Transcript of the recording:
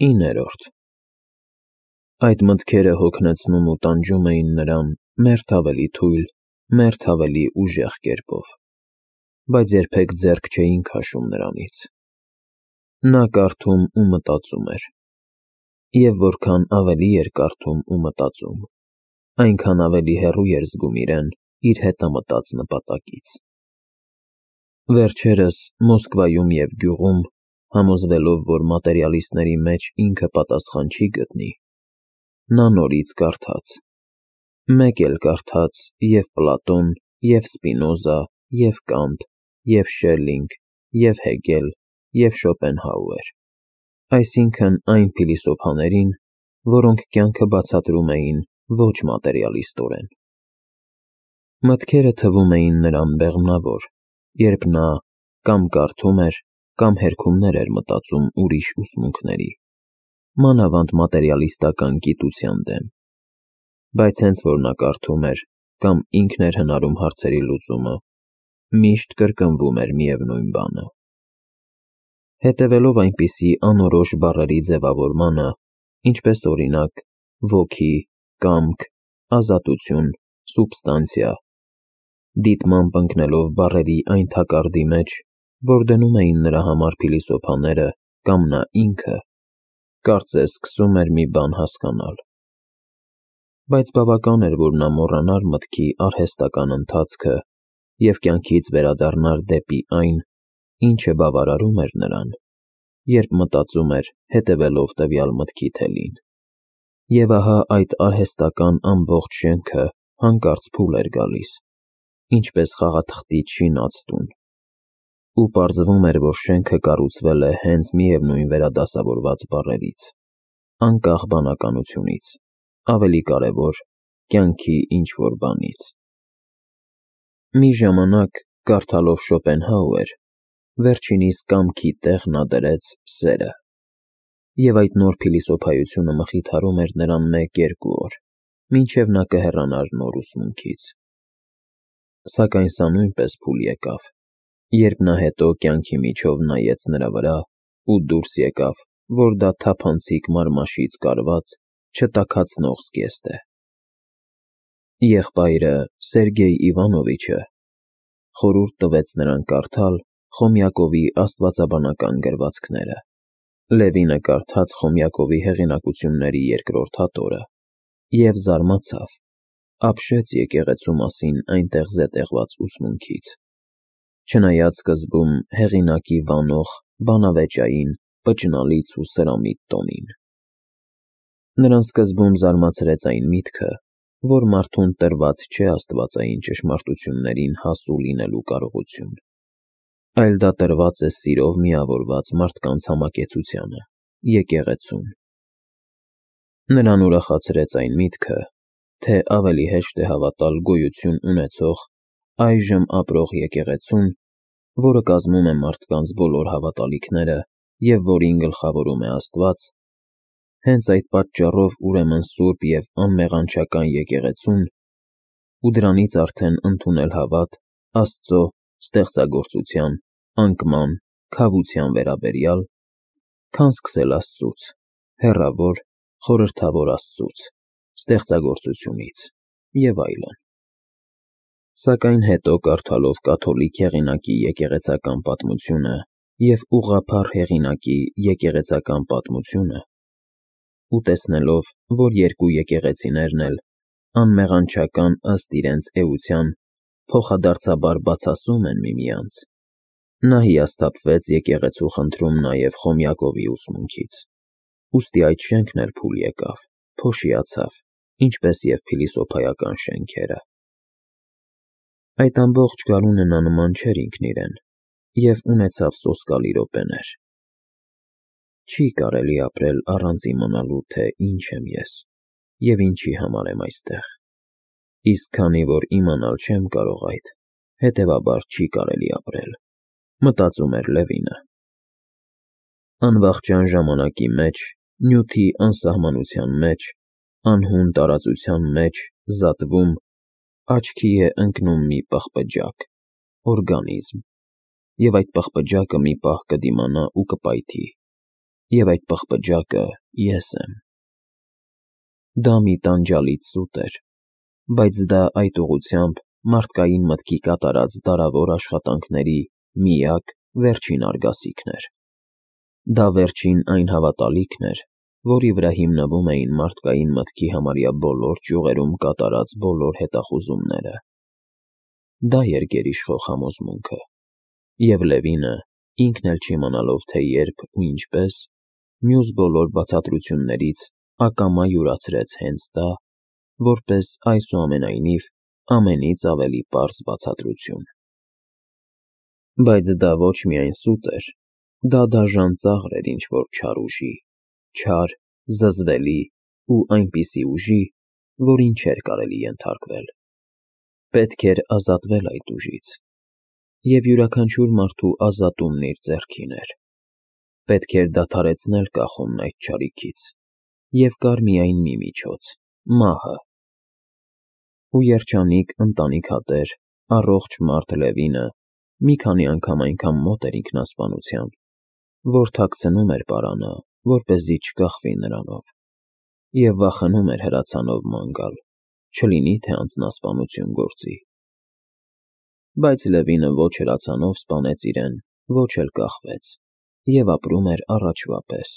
9. Այդ մտքերը հոգնեցնում ու տանջում էին նրան մերթ ավելի թույլ, մերթ ավելի ուժեղ կերպով, բայց երբեք ձեռք չէին քաշում նրանից։ Նա կարդում ու մտածում էր, և որքան ավելի էր կարդում ու մտածում, այնքան ավելի հեռու էր զգում իրեն իր հետամտած նպատակից։ Վերջերս Մոսկվայում և գյուղում, համոզվելով, որ մատերիալիստների մեջ ինքը պատասխան չի գտնի, նա նորից կարդաց, մեկ էլ կարդաց և Պլատոն, և Սպինոզա, և Կանտ, և Շելլինգ, և Հեգել, և Շոպենհաուեր, այսինքն այն փիլիսոփաներին, որոնք կյանքը բացատրում էին ոչ մատերիալիստորեն։ Մտքերը թվում էին նրան բեղմնավոր, երբ նա կամ կարդում էր, կամ հերքումներ էր մտածում ուրիշ ուսմունքների, մանավանդ մատերիալիստական գիտության դեմ, բայց հենց որ նա կարդում էր կամ ինքն էր հնարում հարցերի լուծումը, միշտ կրկնվում էր միևնույն բանը։ Հետևելով այնպիսի անորոշ բառերի ձևավորմանը, ինչպես օրինակ ոգի, կամք, ազատություն, սուբստանցիա, դիտմամբ ընկնելով բառերի այն թակարդի մեջ, որ դնում էին նրա համար փիլիսոփաները կամ նա ինքը, կարծես սկսում էր մի բան հասկանալ։ Բայց բավական էր, որ նա մոռանար մտքի արհեստական ընթացքը և կյանքից վերադառնար դեպի այն, ինչը բավարարում էր նրան, երբ մտածում էր հետևելով տվյալ մտքի թելին։ Եվ ահա այդ արհեստական ամբողջ շենքը հանկարծ փուլ էր գալիս, ինչպես խաղաթղթի շինած տուն, ու պարզվում էր, որ շենքը կառուցվել է հենց միևնույն վերադասավորված բառերից, անկախ բանականությունից, ավելի կարևոր, կյանքի ինչ-որ բանից։ Մի ժամանակ, կարդալով Շոպենհաուեր, վերջինիս կամքի տեղ նա դրեց սերը, և այդ նոր փիլիսոփայությունը մխիթարում էր նրան 1-2 օր, մինչև նա կհեռանար նոր ուսմունքից։ Սակայն սա նույնպես փուլ եկավ, երբ նա հետո կյանքի միջով նայեց նրա վրա ու դուրս եկավ, որ դա թափանցիկ մարմաշից կարված, չտաքացնող զգեստ է։ Եղբայրը՝ Սերգեյ Իվանովիչը, խորհուրդ տվեց նրան կարդալ Խոմյակովի աստվածաբանական գրվածքները։ Լևինը կարդաց Խոմյակովի հեղինակությունների երկրորդ հատորը և զարմացավ, ապշեց եկեղեցու մասին այնտեղ զետեղված ուսմունքից, չնայած սկզբում հեղինակի վանող, բանավեճային, պճնալից ու սրամիտ տոնին։ Նրան սկզբում զարմացրեց այն միտքը, որ մարդուն տրված չէ աստվածային ճշմարտություններին հասու լինելու կարողություն, այլ դա տրված է սիրով միավորված մարդկանց համակեցությանը, եկեղեցուն։ Նրան ուրախացրեց այն միտքը, թե ավելի հեշտ է հավատալ գոյություն ունեցող, այժմ ապրող եկեղեցուն, որը կազմում է մարդկանց բոլոր հավատալիքները և որին գլխավորում է Աստված, հենց այդ պատճառով ուրեմն սուրբ և անմեղանչական եկեղեցուն, ու դրանից արդեն ընդունել հավատ Աստծո ստեղծագործության, անկման, քավության վերաբերյալ, քան սկսել Աստծուց, հեռավոր, խորհրդավոր Աստծուց, ստեղծագործությունից և այլն։ Սակայն հետո կարդալով կաթոլիկ հեղինակի եկեղեցական պատմությունը և ուղղափառ հեղինակի եկեղեցական պատմությունը, ու տեսնելով, որ երկու եկեղեցիներն էլ, անմեղանչական ըստ իրենց էության, փոխադարձաբար բացասում են միմյանց, նա հիասթափվեց եկեղեցու խնդրում նաև Խոմյակովի ուսմունքից, ուստի այդ շենքն էլ փուլ եկավ, փոշիացավ, ինչպես և փիլիսոփայական շենքերը։ Այդ ամբողջ գարունը նա նման չէր ինքն իրեն և ունեցավ սոսկալի րոպեներ։ Չի կարելի ապրել առանց իմանալու, թե ինչ եմ ես և ինչի համար եմ այստեղ, իսկ քանի որ իմանալ չեմ կարող այդ, հետևաբար չի կարելի ապրել, մտածում էր Լևինը։ Անվախճան ժամանակի մեջ, նյութի անսահմանության մեջ, անհուն տարածության մեջ, զատվում, աչքի է ընկնում մի պղպջակ, օրգանիզմ, և այդ պղպջակը մի պահ կդիմանա ու կպայթի, և այդ պղպջակը ես եմ։ Դա մի տանջալից սուտ էր, բայց դա այդ ուղղությամբ մարդկային մտքի կատարած դարավոր աշխատանքների միակ վերջին արգասիքն էր։ Դա վերջին այն հավատալիքն էր, որի վրա հիմնվում էին մարդկային մտքի համարյա բոլոր ճյուղերում կատարած բոլոր հետախուզումները։ Դա էր գերիշխող համոզմունքը, և Լևինը, ինքն էլ չիմանալով, թե երբ ու ինչպես, մյուս բոլոր բացատրություններից ակամա յուրացրեց հենց դա, որպես այսուամենայնիվ ամենից ավելի պարզ բացատրություն։ Բայց դա ոչ միայն սուտ էր, դա դաժան ծաղր էր ինչ-որ չար ուժի, չար, զզվելի ու այնպիսի ուժի, որին չէր կարելի ենթարկվել։ Պետք էր ազատվել այդ ուժից, և յուրաքանչյուր մարդու ազատումն իր ձեռքին էր։ Պետք էր դադարեցնել կախումն այդ չարիքից, և կար միայն մի միջոց՝ մահը։ Ու երջանիկ ընտանիքատեր, առողջ մարդ Լևինը մի քանի անգամ այնքան մոտ էր ինքնասպանության, որ թաքցնում էր պարանը, որպեսզի չկախվի նրանով, և վախենում էր հրացանով ման գալ, չլինի թե անձնասպանություն գործի։ Բայց Լևինը ոչ հրացանով սպանեց իրեն, ոչ էլ կախվեց, և ապրում էր առաջվա պես,